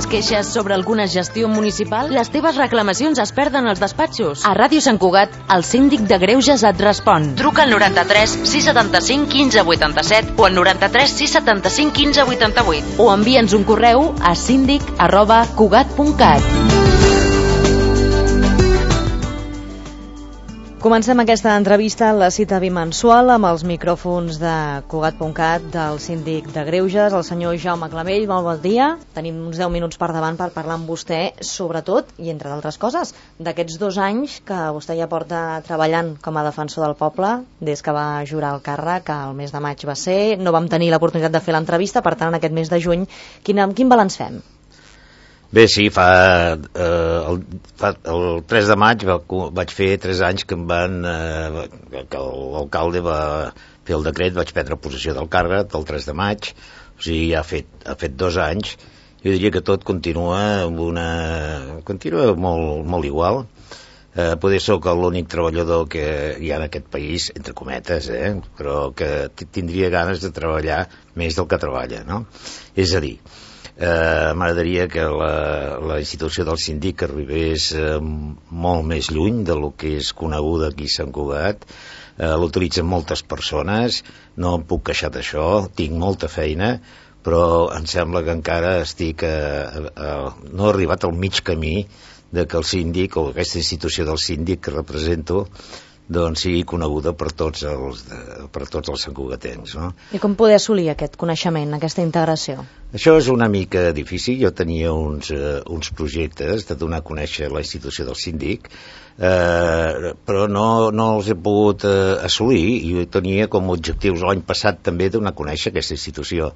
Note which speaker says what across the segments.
Speaker 1: tens queixes sobre alguna gestió municipal? Les teves reclamacions es perden als despatxos. A Ràdio Sant Cugat, el síndic de Greuges et respon. Truca al 93 675 15 87 o al 93 675 15 88 o envia'ns un correu a síndic@cugat.cat. Comencem aquesta entrevista a la cita bimensual amb els micròfons de Cugat.cat del síndic de Greuges, el senyor Jaume Clamell. Molt bon dia. Tenim uns 10 minuts per davant per parlar amb vostè, sobretot, i entre d'altres coses, d'aquests 2 anys que vostè ja porta treballant com a defensor del poble, des que va jurar el càrrec, que el mes de maig va ser. No vam tenir l'oportunitat de fer l'entrevista, per tant, en aquest mes de juny, quin balanç fem?
Speaker 2: Bé, sí, el 3 de maig vaig fer 3 anys que que l'alcalde va fer el decret, vaig prendre possessió del càrrec el 3 de maig, o sigui, ha fet 2 anys. Jo diria que tot continua molt igual. Poder soc l'únic treballador que hi ha en aquest país, entre cometes, però que tindria ganes de treballar més del que treballa, no? És a dir, m'agradaria que la institució del síndic arribés molt més lluny del que és coneguda aquí a Sant Cugat. L'utilitzen moltes persones, no em puc queixar d'això, tinc molta feina, però em sembla que encara no he arribat al mig camí de que el síndic o aquesta institució del síndic que represento doncs sigui coneguda per tots els santcugatencs, no?
Speaker 1: I com poder assolir aquest coneixement, aquesta integració?
Speaker 2: Això és una mica difícil. Jo tenia uns projectes de donar a conèixer la institució del síndic, però no els he pogut assolir, i tenia com a objectius l'any passat també donar a conèixer aquesta institució.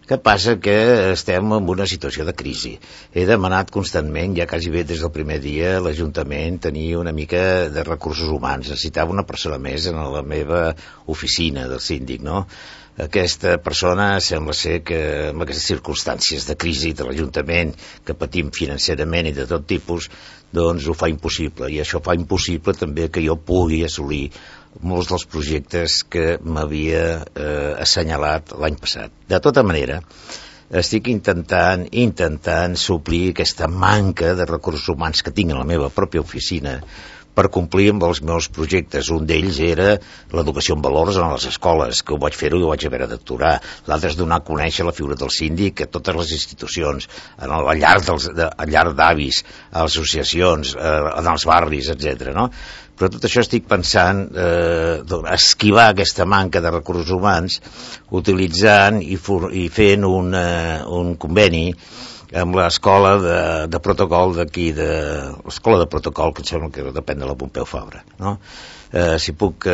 Speaker 2: Què passa? Que estem en una situació de crisi. He demanat constantment, ja quasi bé des del primer dia, l'Ajuntament tenia una mica de recursos humans. Necessitava una persona més en la meva oficina del síndic, no? Aquesta persona sembla ser que amb aquestes circumstàncies de crisi de l'Ajuntament que patim financerament i de tot tipus, doncs ho fa impossible, i això fa impossible també que jo pugui assolir molts dels projectes que m'havia assenyalat l'any passat. De tota manera, estic intentant suplir aquesta manca de recursos humans que tinc a la meva pròpia oficina per complir amb els meus projectes. Un d'ells era l'educació en valors en les escoles, que ho vaig fer-ho i ho vaig haver d'aturar. L'altre és donar a conèixer la figura del síndic a totes les institucions, al llarg d'avis, a les associacions, en els barris, etc. No? Però tot això estic pensant esquivar aquesta manca de recursos humans utilitzant i fent un conveni amb l'escola de protocol d'aquí, l'escola de protocol, que em sembla que depèn de la Pompeu Fabra, no? Si puc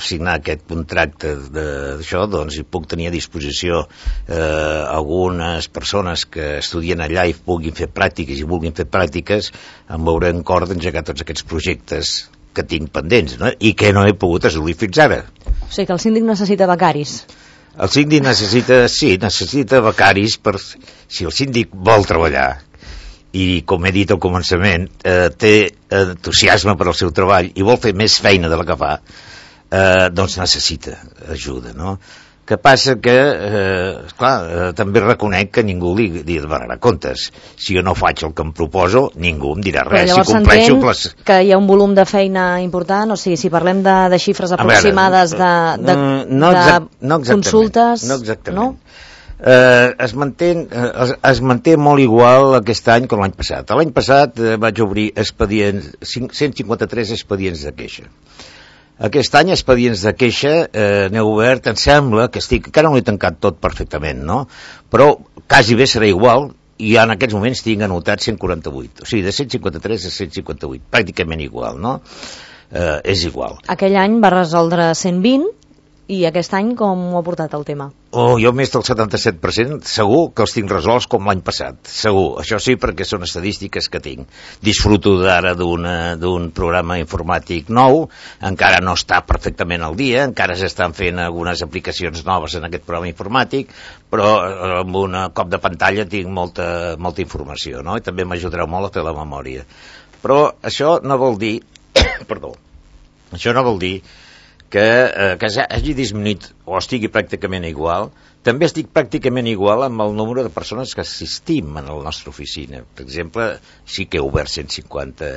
Speaker 2: signar aquest contracte d'això, doncs hi puc tenir a disposició algunes persones que estudien allà i puguin fer pràctiques i vulguin fer pràctiques, em veuré en cor d'engegar tots aquests projectes que tinc pendents, no? I que no he pogut assolir fins ara.
Speaker 1: O sigui que el síndic necessita becaris.
Speaker 2: El síndic necessita becaris si el síndic vol treballar i, com he dit al començament, té entusiasme per al seu treball i vol fer més feina de la que fa, doncs necessita ajuda, no? Que passa que, esclar, també reconec que ningú li demanarà comptes. Si jo no faig el que em proposo, ningú em dirà res.
Speaker 1: Però llavors s'entén que hi ha un volum de feina important? O sigui, si parlem de xifres aproximades de consultes...
Speaker 2: No exactament. Es manté molt igual aquest any com l'any passat. L'any passat vaig obrir 153 expedients de queixa. Aquest any, expedients de queixa, n'he obert, em sembla que encara no l'he tancat tot perfectament, no? Però quasi bé serà igual, i en aquests moments tinc anotat 148, o sigui, de 153 a 158, pràcticament igual, no? És igual.
Speaker 1: Aquell any va resoldre 120, i aquest any com ho ha portat el tema?
Speaker 2: Jo més del 77% segur que els tinc resolts com l'any passat, segur. Això sí, perquè són estadístiques que tinc. Disfruto d'ara d'un programa informàtic nou, encara no està perfectament al dia, encara s'estan fent algunes aplicacions noves en aquest programa informàtic, però amb un cop de pantalla tinc molta informació, no? I també m'ajudarà molt a fer la memòria. Però això no vol dir això no vol dir que hagi disminuït o estigui pràcticament igual. També estic pràcticament igual amb el número de persones que assistim en la nostra oficina. Per exemple, sí que he obert 150,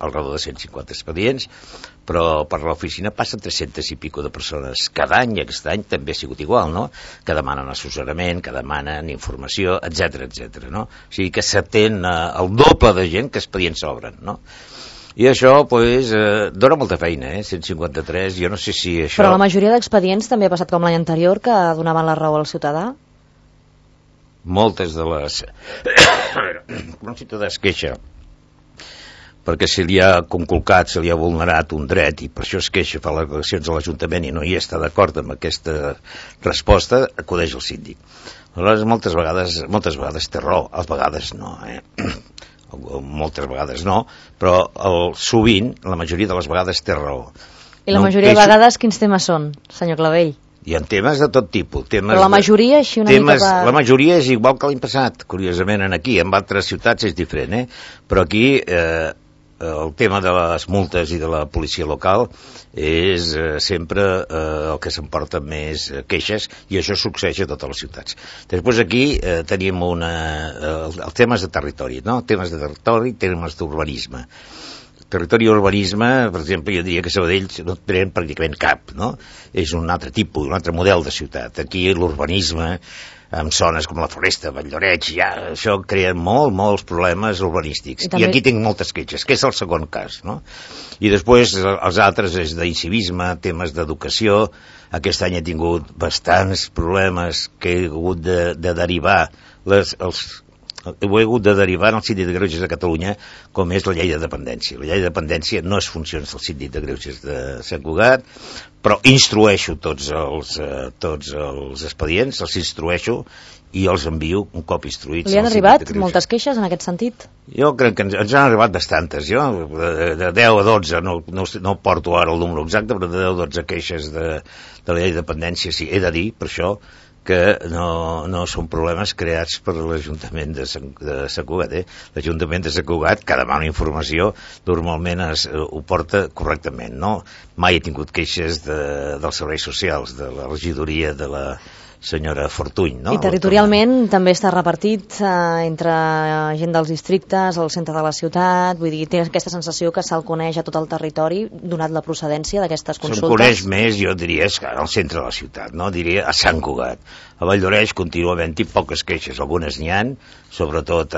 Speaker 2: al redor de 150 expedients, però per l'oficina passen 300 i pico de persones cada any, i aquest any també ha sigut igual, no? Que demanen assessorament, que demanen informació, etc, no? O sigui que s'atén el doble de gent que expedients s'obren, no? I això, doncs, dona molta feina, 153, jo no sé si això...
Speaker 1: Però la majoria d'expedients també ha passat com l'any anterior, que donaven la raó al ciutadà?
Speaker 2: Moltes de les... un ciutadà es queixa perquè se li ha conculcat, se li ha vulnerat un dret, i per això es queixa, fa les declaracions a l'Ajuntament i no hi està d'acord amb aquesta resposta, acudeix al síndic. Aleshores, moltes vegades té raó, a vegades no, moltes vegades no, però sovint, la majoria de les vegades té raó.
Speaker 1: I la majoria de vegades quins temes són, senyor Clavell?
Speaker 2: Hi ha temes de tot tipus.
Speaker 1: Però la majoria així una mica...
Speaker 2: La majoria és igual que l'any passat, curiosament, aquí. En altres ciutats és diferent, però aquí el tema de les multes i de la policia local és sempre el que s'emporta més queixes, i això succeeix a totes les ciutats. Després aquí tenim els temes de territori, no? Temes de territori, temes d'urbanisme. Territori i urbanisme, per exemple, jo diria que Sabadell no tenen pràcticament cap, no? És un altre tipus, un altre model de ciutat. Aquí l'urbanisme, amb zones com la Floresta, Valldoreix, ja això crea molts problemes urbanístics. I aquí tinc moltes queixes, que és el segon cas, no? I després els altres és d'incivisme, temes d'educació. Aquest any he tingut bastants problemes que he hagut de derivar ho he hagut de derivar al Síndic de Greuges de Catalunya, com és la llei de dependència. La llei de dependència no és funcions del Síndic de Greuges de Sant Cugat, però instrueixo tots els expedients, els instrueixo i els envio un cop instruïts.
Speaker 1: Li han arribat moltes queixes en aquest sentit?
Speaker 2: Jo crec que ens han arribat bastantes. Jo, de 10 a 12, no porto ara el número exacte, però de 10 a 12 queixes de la llei de dependència, sí, he de dir, per això, que no són problemes creats per l'Ajuntament de Sant Cugat. L'Ajuntament de Sant Cugat, que demana informació, normalment ho porta correctament, no? Mai he tingut queixes dels serveis socials, de la regidoria de la senyora Fortuny, no?
Speaker 1: I territorialment també està repartit entre gent dels districtes, al centre de la ciutat, vull dir, té aquesta sensació que se'l coneix a tot el territori, donat la procedència d'aquestes consultes?
Speaker 2: Se'm coneix més, jo diria, al centre de la ciutat, no? Diria a Sant Cugat. A Valldoreix continua havent-hi poques queixes, algunes n'hi han, sobretot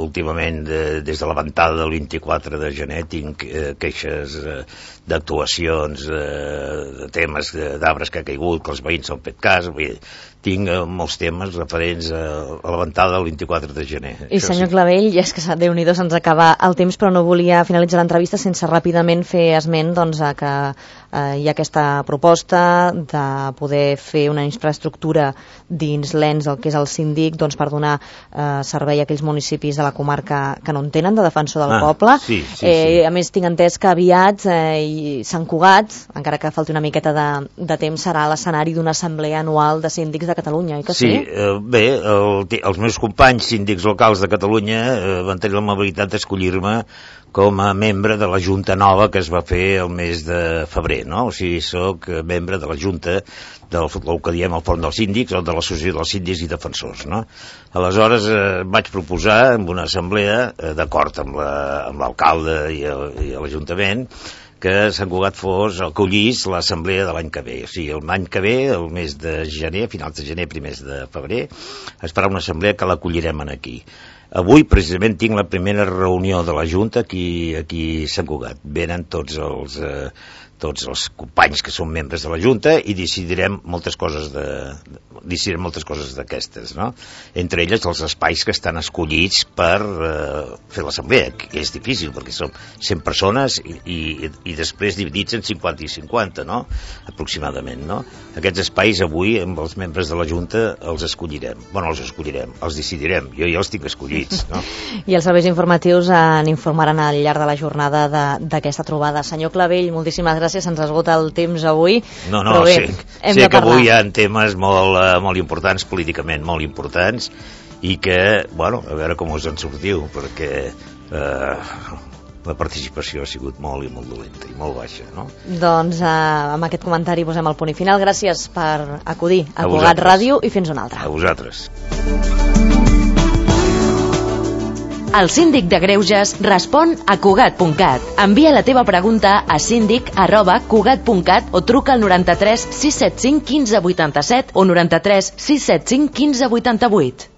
Speaker 2: últimament des de la ventada del 24 de gener tinc queixes d'actuacions, de temes d'arbres que ha caigut, que els veïns s'han fet cas, tinc molts temes referents a la ventada del 24 de gener.
Speaker 1: I senyor Clavell, ja és que Déu-n'hi-do se'ns acaba el temps, però no volia finalitzar l'entrevista sense ràpidament fer esment que hi ha aquesta proposta de poder fer una infraestructura dins l'ens del que és el síndic per donar servei a aquells municipis de la comarca que no en tenen, de defensor del poble.
Speaker 2: Sí.
Speaker 1: A més, tinc entès que aviat Sant Cugat, encara que falti una miqueta de temps, serà l'escenari d'una assemblea anual de síndics de Catalunya, oi que sí?
Speaker 2: Bé, els meus companys síndics locals de Catalunya van tenir l'amabilitat d'escollir-me com a membre de la Junta nova que es va fer el mes de febrer, no? O sigui, soc membre de la Junta del que diem el Fòrum dels Síndics o de l'Associació dels Síndics i Defensors, no? Aleshores vaig proposar en una assemblea, d'acord amb l'alcalde i l'Ajuntament, que Sant Cugat acollís l'assemblea de l'any que ve. O sigui, l'any que ve, el mes de gener, finals de gener, primers de febrer, es farà una assemblea que l'acollirem aquí. Avui, precisament, tinc la primera reunió de la Junta aquí a Sant Cugat. Venen tots els companys que són membres de la Junta i decidirem moltes coses d'aquestes, no? Entre elles els espais que estan escollits per fer l'assemblea, que és difícil perquè som 100 persones i després dividits en 50 i 50, no? Aproximadament, no? Aquests espais avui amb els membres de la Junta els escollirem. Bueno, els decidirem. Jo ja els tinc escollits, no?
Speaker 1: I els serveis informatius n'informaran al llarg de la jornada d'aquesta trobada. Senyor Clavell, moltíssimes gràcies, se'ns esgota el temps avui.
Speaker 2: No, sé que avui hi ha temes molt importants, políticament molt importants, i que, bueno, a veure com us en sortiu, perquè la participació ha sigut molt i molt dolenta i molt baixa, no?
Speaker 1: Doncs amb aquest comentari posem el punt i final. Gràcies per acudir a Cugat
Speaker 2: vosaltres.
Speaker 1: Ràdio i fins una altra.
Speaker 2: A vosaltres.
Speaker 3: El síndic de Greuges respon a Cugat.cat. Envia la teva pregunta a síndic@cugat.cat o truca al 93 675 15 87 o 93 675 15 88.